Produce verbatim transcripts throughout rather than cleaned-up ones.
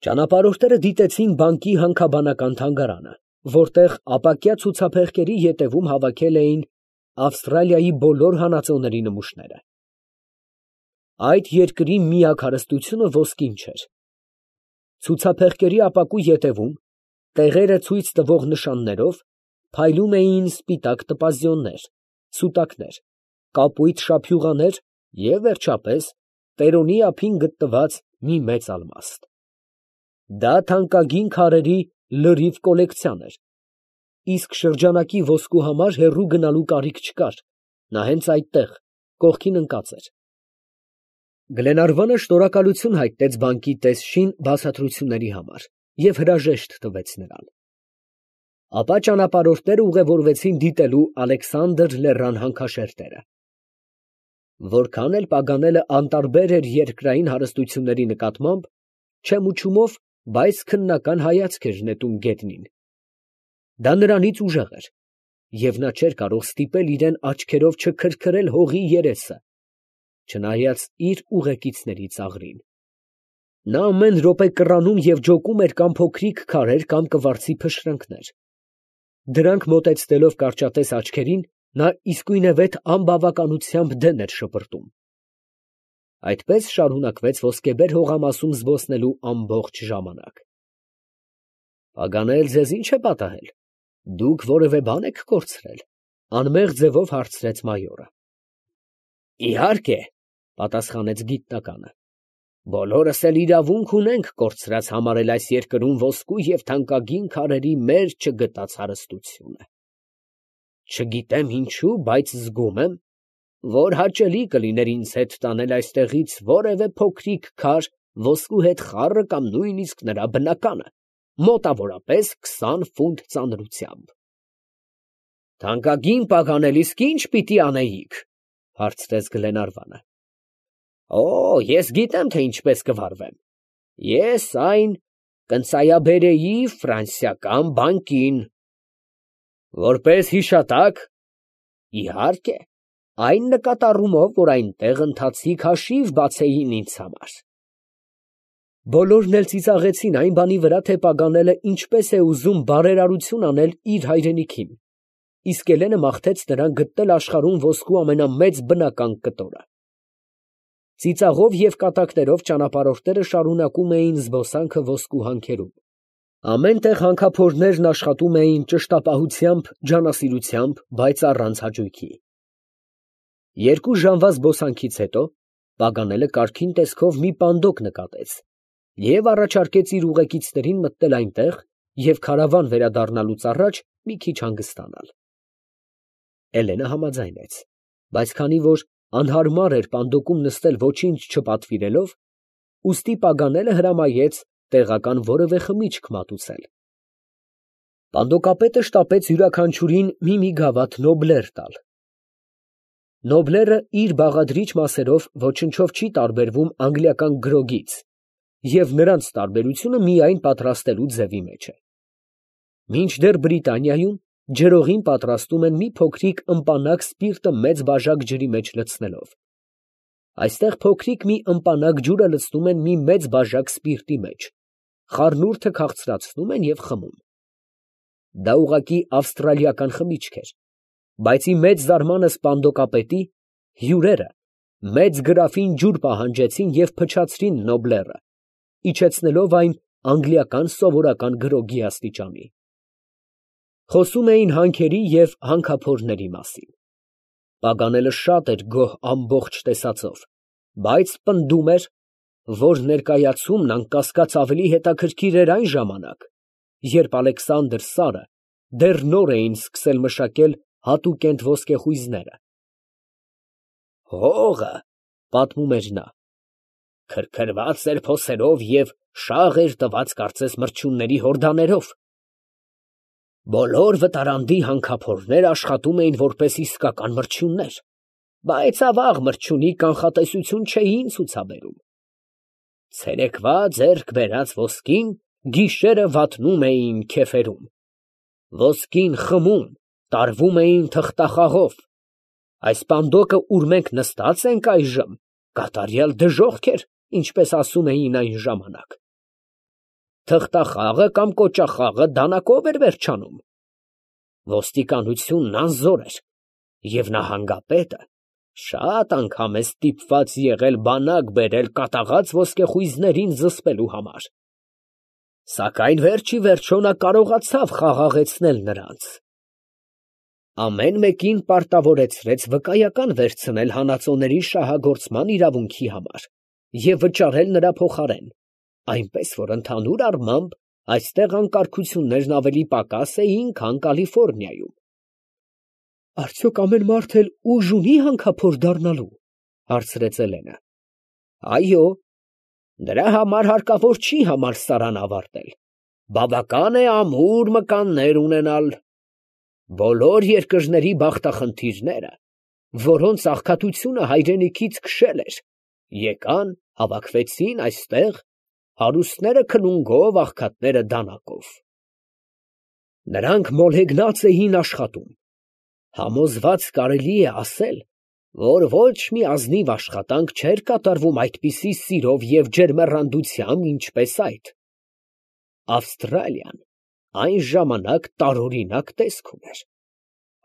Ճանապարհորդները դիտեցին բանկի հանքաբանական թանգարանը, որտեղ ապակյա ցուցափեղկերի ետևում հավաքել էին Ավստրալիայի բոլոր հանածոների նմուշները։ Այդ երկրի միակ հարստությունը ոսկին չէր։ Ցուցափեղկերի ապակու ետևում, տեղերը ցույց տվող նշաններով, փայլում էին սպիտակ տպազյոններ, սուտակներ, կապույտ շափյուղաներ և, վերջապես, տերոնի ափին գտնված մի մեծ ալմաստ։ Դա թանկագին քարերի լրիվ կոլեկցիան էր, իսկ շրջանակի ոսկու համար հեռու գնալու կարիք չկար, նա հենց այդտեղ, կողքին ընկած էր։ Գլենարվանը շնորհակալություն հայտնեց բանկի տեսչին բացատրությունների համար և հրաժեշտ տվեց նրան։ Ապա ճանապարհորդները ուղևորվեցին դիտելու Ալեքսանդր լեռան հանքաշերտերը։ Որքան էլ Պագանելը անտարբեր էր երկրային հարստությունների նկատմամբ, չեմուչումով, բայց քննական հայացք էր նետում գետնին։ Դա նրանից ուժեղ էր, և նա չէր կարող ստիպել իրան աչքերով չքրքրել հողի երեսը, չնայած իր ուղեկիցների ծաղրին։ Նա ամեն րոպե կռանում և ջոկում էր կամ փոքրիկ քարեր, կամ կվարձի փշրանքներ։ Դրանք մոտեցնելով կարճատես աչքերին, նա իսկույնևեթ անբավականությամբ դեն էր շպրտում։ Այդպես շարունակվեց ոսկեբեր հողամասում զբոսնելու ամբողջ ժամանակ։ Պագանել ձեզ ի՞նչ է պատահել, դուք որևէ բան եք կորցրել, ֊ անմեղ ձևով հարցրեց մայորը։ Իհարկե, ֊ պատասխանեց գիտնականը, բոլորս էլ իրավունք ունենք կորցրած համարել այս երկրում ոսկու և թանկագին քարերի մեր չգտած հարստությունը։ Չգիտեմ ինչու, բայց զգում եմ, որ հաճելի կլիներ ինձ հետ տանել այստեղից որևէ փոքրիկ քար ոսկու հետ խառը կամ նույնիսկ նրա բնականը, մոտավորապես քսան ֆունտ ծանրությամբ։ Թանկագին Պագանել, իսկ ի՞նչ պիտի անեիք, ֊ հարցրեց Գլենարվանը։ Օ, ես գիտեմ, թե ինչպես կվարվեմ. ես այն կընծայաբերեի ֆրանսիական բանկին։ Որպես հիշատակ։ Իհարկե, այն նկատառումով, որ այնտեղ ընթացիկ հաշիվ բացեին ինձ համար։ Բոլորն էլ ծիծաղեցին այն բանի վրա, թե Պագանելը ինչպես է ուզում բարերարություն անել իր հայրենիքին, իսկ Էլենը մաղթեց նրան գտնել աշխարհում ոսկու ամենամեծ բնական կտորը։ Ծիծաղով և կատակներով ճանապարհորդները շարունակում էին զբոսանքը ոսկու հանքերում։ Ամեն տեղ հանքափորներն աշխատում էին ճշտապահությամբ, ջանասիրությամբ, բայց առանց հաճույքի։ Երկու ժամվա զբոսանքից հետո Պագանելը կարգին տեսքով մի պանդոկ նկատեց և առաջարկեց իր ուղեկիցներին մտնել այնտեղ և քարավան վերադառնալուց առաջ մի քիչ հանգստանալ։ Էլենը համաձայնեց, բայց քանի որ անհարմար էր պանդոկում նստել ոչինչ չպատվիրելով, ուստի Պագանելը հրամայեց տեղական որևէ խմիչք մատուցել։ Պանդոկապետը շտապեց յուրաքանչյուրին մի֊մի գավաթ նոբլեր տալ։ Նոբլերը իր բաղադրիչ մասերով ոչնչով չի տարբերվում անգլիական գրոգից, և նրանց տարբերությունը միայն պատրաստելու ձևի մեջ է։ Մինչդեռ Բրիտանիայում ջրօղին պատրաստում են մի փոքրիկ ըմպանակ սպիրտը մեծ բաժակ ջրի մեջ լցնելով։ Այստեղ փոքրիկ մի ըմպանակ ջուրը լցնում են մի մեծ բաժակ սպիրտի մեջ, խառնուրդը քաղցրացնում են և խմում։ Դա ուղղակի ավստրալիական խմիչք էր, բայց ի մեծ զարմանս պանդոկապետի, հյուրերը մեծ գրաֆին ջուր պահանջեցին և փչացրին նոբլերը, իջեցնելով այն անգլիական սովորական գրոգի աստիճանի։ Խոսում էին հանքերի և հանքափորների մասին։ Պագանելը շատ էր գոհ ամբողջ տեսածով, բայց պնդում էր, որ ներկայացումն անկասկած ավելի հետաքրքիր էր այն ժամանակ, երբ Ալեքսանդր Սարը դեռ նոր էին սկսել մշակել հատուկենտ ոսկեխույզները։ Հողը, ֊ պատմում էր նա, ֊ քրքրված էր փոսերով և շաղ էր տված կարծես մրջյունների հորդաներով։ Բոլոր վտարանդի հանքափորներ աշխատում էին որպես իսկական մրջյուններ, բայց ավաղ մրջյունի կանխատեսություն չէին ցուցաբերում։ Ցերեկվա ձեռք բերած ոսկին գիշերը վատնում էին քեֆերում, ոսկին խմում, տարվում էին թղթախաղով։ Այս պանդոկը, ուր մենք նստած ենք այժմ, կատարյալ դժոխք էր, ինչպես ասում էին այն ժամանակ։ թղթախաղը կամ կոճախաղը դանակով էր վերջանում։ Ոստիկանությունն անզոր էր, և նահանգապետը շատ անգամ է ստիպված եղել բանակ բերել կատաղած ոսկեխույզներին զսպելու համար, սակայն վերջիվերջո նա կարողացավ խաղաղեցնել նրանց։ Ամեն մեկին պարտավորեցրեց վկայական վերցնել հանածոների շահագործման իրավունքի համար և վճարել նրա փոխարեն, այնպես որ ընդհանուր առմամբ այստեղ անկարգություններն ավելի պակաս էին, քան Կալիֆոռնիայում։ ֊ Արդյոք ամեն մարդ էլ ուժ ունի հանքափոր դառնալու, ֊ հարցրեց Էլենը։ ֊ Այո, դրա համար հարկավոր չի համալսարան ավարտել, բավական է ամուր մկաններ ունենալ։ Բոլոր երկրների բախտախնդիրները, որոնց աղքատությունը հայրենիքից քշել էր, եկան, հավաքվեցին այստեղ, հարուստները քլունգով, աղքատները դանակով։ Նրանք մոլեգնած էին աշխատում, համոզված կարելի է ասել, որ ոչ մի ազնիվ աշխատանք չէր կատարվում այդպիսի սիրով և ջերմեռանդությամբ, ինչպես այդ։ Ավստրալիան այն ժամանակ տարօրինակ տեսք ուներ.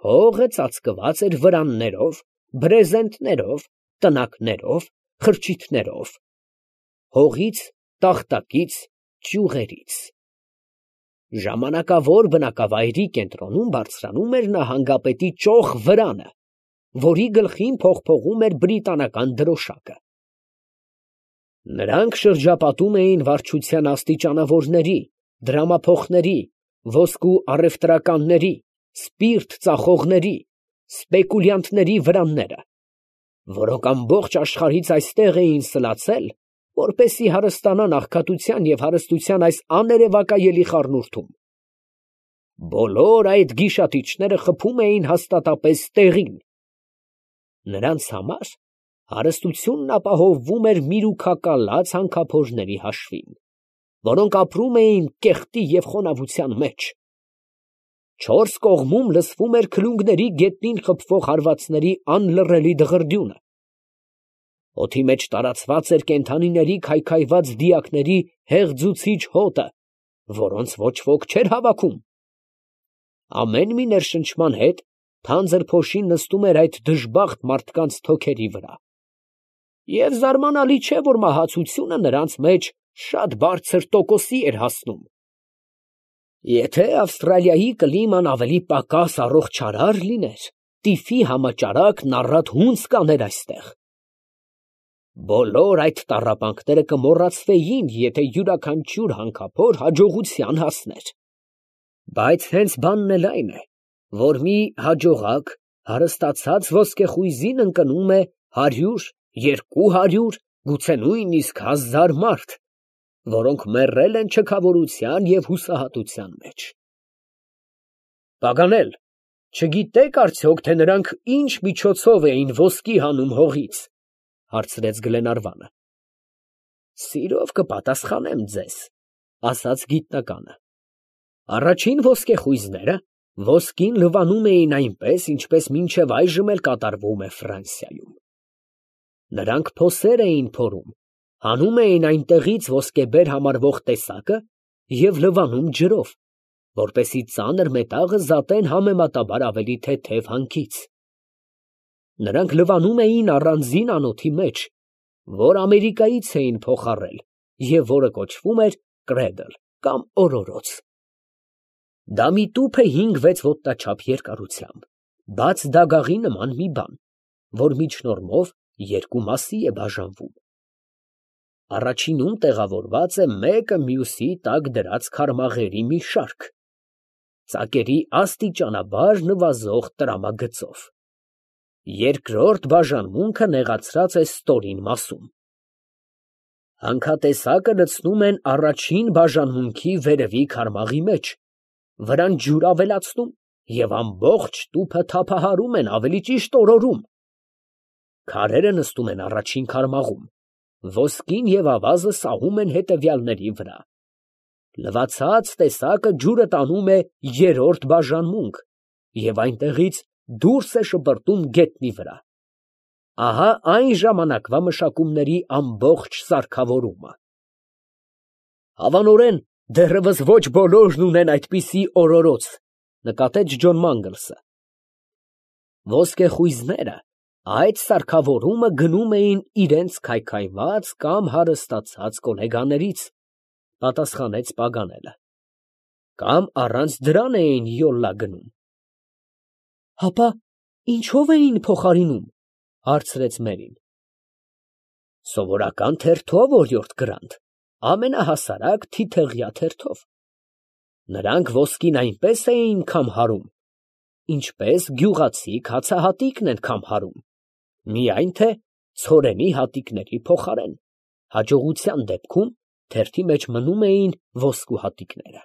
հողը ծածկված էր վրաններով, բրեզենտներով, տնակներով, խրճիթներով, հողից, տախտակից, ճյուղերից։ Ժամանակավոր բնակավայրի կենտրոնում բարձրանում էր նահանգապետի ճոխ վրանը, որի գլխին փողփողում էր բրիտանական դրոշակը։ Նրանք շրջապատում էին վարչության աստիճանավորների, դրամափոխների, ոսկու առևտրականների, սպիրտ ծախողների, սպեկուլյանտների վրանները, որոնք ամբողջ աշխարհից այստեղ էին սլացել, որպեսզի հարստանան աղքատության և հարստության այս աներևակայելի խառնուրդում։ Բոլոր այդ գիշատիչները խփում էին հաստատապես տեղին։ Նրանց համար հարստությունն ապահովվում էր միրուքակալած հանքափորների հաշվին, որոնք ապրում էին կեղտի և խոնավության մեջ։ Չորս կողմում լսվում էր քլունգների գետնին խփվող հարվածների անլռելի դղրդյունը։ Օդի մեջ տարածված էր կենդանիների քայքայված դիակների հեղձուցիչ հոտը, որոնց ոչ ոք չէր հավաքում։ Ամեն մի ներշնչման հետ թանձր փոշին նստում էր այդ դժբախտ մարդկանց թոքերի վրա, և զարմանալի չէ, որ մահացությունը նրանց մեջ շատ բարձր տոկոսի էր հասնում։ Եթե Ավստրալիայի կլիման ավելի պակաս առողջարար լիներ, տիֆի համաճարակն առատ հունձ կաներ այստեղ։ Բոլոր այդ տառապանքները կմոռացվեին, եթե յուրաքանչյուր հանքափոր հաջողության հասներ։ Բայց հենց բանն էլ այն է, որ մի հաջողակ, հարստացած ոսկեխույզին ընկնում է հարյուր, երկու հարյուր, գուցե նույնիսկ հազար մարդ, որոնք մեռել են չքավորության և հուսահատության մեջ։ Պագանել, չգիտե՞ք արդյոք, թե նրանք ինչ միջոցով էին ոսկի հանում հողից, ֊ հարցրեց Գլենարվանը։ ֊ Սիրով կպատասխանեմ ձեզ, ֊ ասաց գիտնականը։ Առաջին ոսկեխույզները ոսկին լվանում էին այնպես, ինչպես մինչև այժմ էլ կատարվում է Ֆրանսիայում։ Նրանք փոսեր էին փորում, հանում էին այնտեղից ոսկեբեր համարվող տեսակը և լվանում ջրով, որպեսզի ծանր մետաղը զատեն համեմատաբար ավելի թեթև հանքից։ Նրանք լվանում էին առանձին անոթի մեջ, որ Ամերիկայից էին փոխառել և որը կոչվում էր կրեդլ կամ օրորոց։ Դա մի տուփ է հինգ֊վեց ոտնաչափ երկարությամբ, բաց դագաղի նման մի բան, որ միջնորմով երկու մասի է բաժանվում։ Առաջինում տեղավորված է մեկը մյուսի տակ դրած քարմաղերի մի շարք, ծակերի աստիճանաբար նվազող տրամագծով։ Երկրորդ բաժանմունքը նեղացրած է ստորին մասում։ Հանքատեսակը լցնում են առաջին բաժանմունքի վերևի քարմաղի մեջ, վրան ջուր ավելացնում և ամբողջ տուփը թափահարում են, ավելի ճիշտ օրորում։ Քարերը նստում են առաջին քարմաղում, ոսկին և ավազը սահում են հետևյալների վրա։ Լվացած տեսակը ջուրը տանում է երրորդ բաժանմունք և այնտեղից դուրս է շպրտում գետնի վրա։ Ահա այն ժամանակվա մշակումների ամբողջ սարքավորումը։ Հավանորեն Դեռևս ոչ բոլորն ունեն այդպիսի օրորոց, նկատեց Ջոն Մանգլսը։ Ոսկեխույզները այդ սարքավորումը գնում էին իրենց քայքայված կամ հարստացած գոլեգաներից, պատասխանեց Պագանելը, կամ առանց դրան էին յոլլա գնում։ Հապա ինչով էին փոխարինում, հարցրեց Մերին։ Սովորական թերթով, օրիորդ Գրանտ, ամենահասարակ թիթեղյա թերթով։ Նրանք ոսկին այնպես էին քամհարում, ինչպես գյուղացի հացահատիկն են քամհարում, միայն թե ցորենի հատիկների փոխարեն, հաջողության դեպքում թերթի մեջ մնում էին ոսկու հատիկները։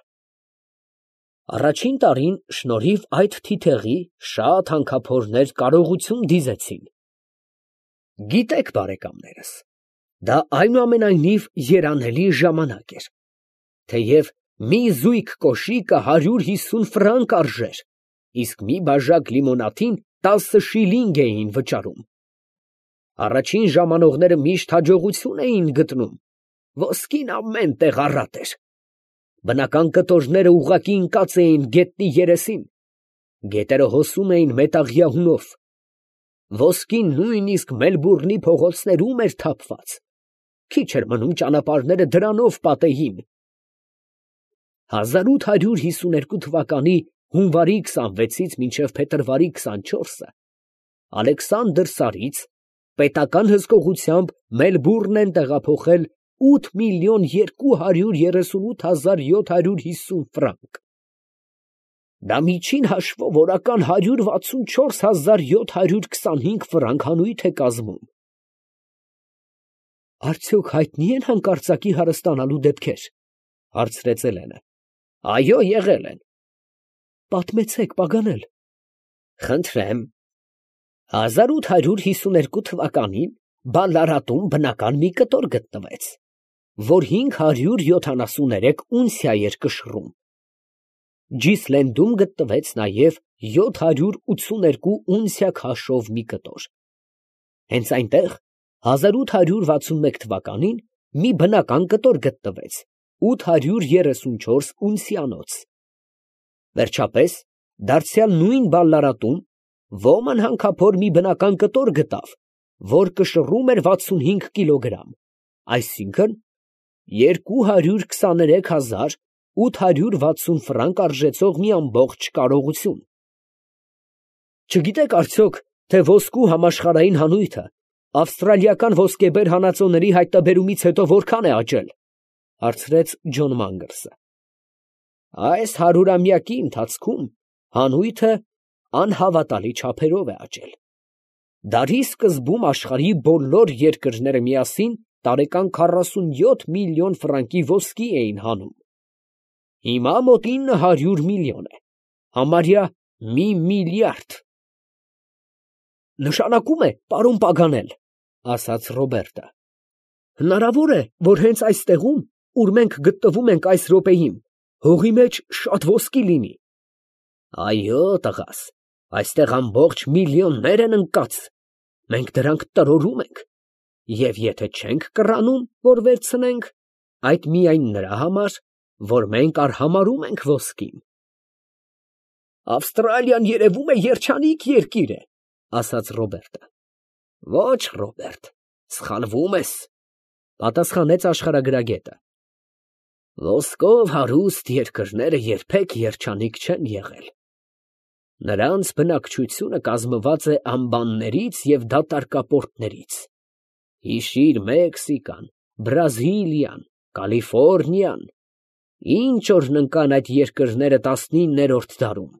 Առաջին տարին շնորհիվ այդ թիթեղի շատ հանքափորներ կարողություն դիզեցին։ Գիտեք, բարեկամներս, դա այնուամենայնիվ երանելի ժամանակ էր, թեև մի զույգ կոշիկը հարյուր հիսուն ֆրանկ արժեր, իսկ մի բաժակ լիմոնադին տասը շիլինգ էին վճարում։ Առաջին ժամանողները միշտ հաջողություն էին գտնում, ոսկին ամեն տեղ առատ էր։ Բնական կտորները ուղղակի ընկած էին գետնի երեսին, գետերը հոսում էին մետաղյա հունով, ոսկին նույնիսկ Մելբուրնի փողոցներում էր թափված, քիչ էր մնում ճանապարհները դրանով պատեին։ հազար ութ հարյուր հիսուներկու թվականի հունվարի քսանվեցից մինչև փետրվարի քսանչորսը Ալեքսանդր Սարից պետական հսկողությամբ Մելբուրն են տեղափոխել ութ միլիոն երկու հարյուր երեսունութ հազար յոթ հարյուր հիսուն ֆրանկ։ Դա միջին հաշվով օրական հարյուր վաթսունչորս հազար յոթ հարյուր քսանհինգ ֆրանկ հանույթ է կազմում։ Արդյոք հայտնի են հանկարծակի հարստանալու դեպքեր, հարցրեց Էլենը։ Այո, եղել են։ Պատմեցեք, Պագանել։ Խնդրեմ։ հազար ութ հարյուր հիսուներկու թվականին Բալլարատում բնական մի կտոր գտնվեց, որ հինգ հարյուր յոթանասուներեք ունցիա էր կշռում։ Ջիսլենդում գտնվեց նաև յոթ հարյուր ութսուներկու ունցիա քաշով մի կտոր։ Հենց այնտեղ հազար ութ հարյուր վաթսունմեկ թվականին մի բնական կտոր գտնվեց ութ հարյուր երեսունչորս ունցիանոց։ Վերջապես, դարձյալ նույն Բալլարատում ոման հանքափոր մի բնական կտոր գտավ, որ կշռում էր վաթսունհինգ կիլոգրամ, այսինքն երկու հարյուր քսաներեք հազար ութ հարյուր վաթսուն ֆրանկ արժեցող մի ամբողջ կարողություն։ Չգիտեք արդյոք, թե ոսկու համաշխարհային հանույթը ավստրալիական ոսկեբեր հանածոների հայտնաբերումից հետո որքան է աճել, հարցրեց Ջոն Մանգլսը։ Այս հարյուրամյակի ընթացքում հանույթը անհավատալի չափերով է աճել։ Դարի սկզբում աշխարհի բոլոր երկրները միասին տարեկան քառասունյոթ միլիոն ֆրանկի ոսկի էին հանում։ Հիմա մոտ ինը հարյուր միլիոն է, համարյա մի միլիարդ։ Նշանակում է, պարոն Պագանել, ասաց Ռոբերտը, հնարավոր է, որ հենց այստեղում, ուր մենք գտնվում ենք այս րոպեին, հողի մեջ շատ ոսկի լինի։ Այո, տղաս, այստեղ ամբողջ միլիոններ են ընկած, մենք դրանք տրորում ենք, և եթե չենք կռանում, որ վերցնենք, այդ միայն նրա համար, որ մենք արհամարհում ենք ոսկին։ Ավստրալիան երևում է երջանիկ երկիր է, ասաց Ռոբերտը։ Ոչ, Ռոբերտ, սխալվում ես, պատասխանեց աշխարհագրագետը։ Ոսկով հարուստ երկրները երբեք երջանիկ չեն եղել։ Նրանց բնակչությունը կազմված է ամբաններից և դատարկապորտներից։ Հիշիր Մեքսիկան, Բրազիլիան, Կալիֆոռնիան, ինչ օրն ընկան այդ երկրները տասնիններորդ դարում։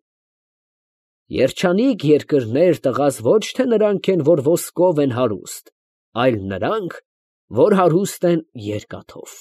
Երջանիկ երկրներ, տղաս, ոչ թե նրանք են, որ ոսկով են հարուստ, այլ նրանք, որ հարուստ են երկաթով։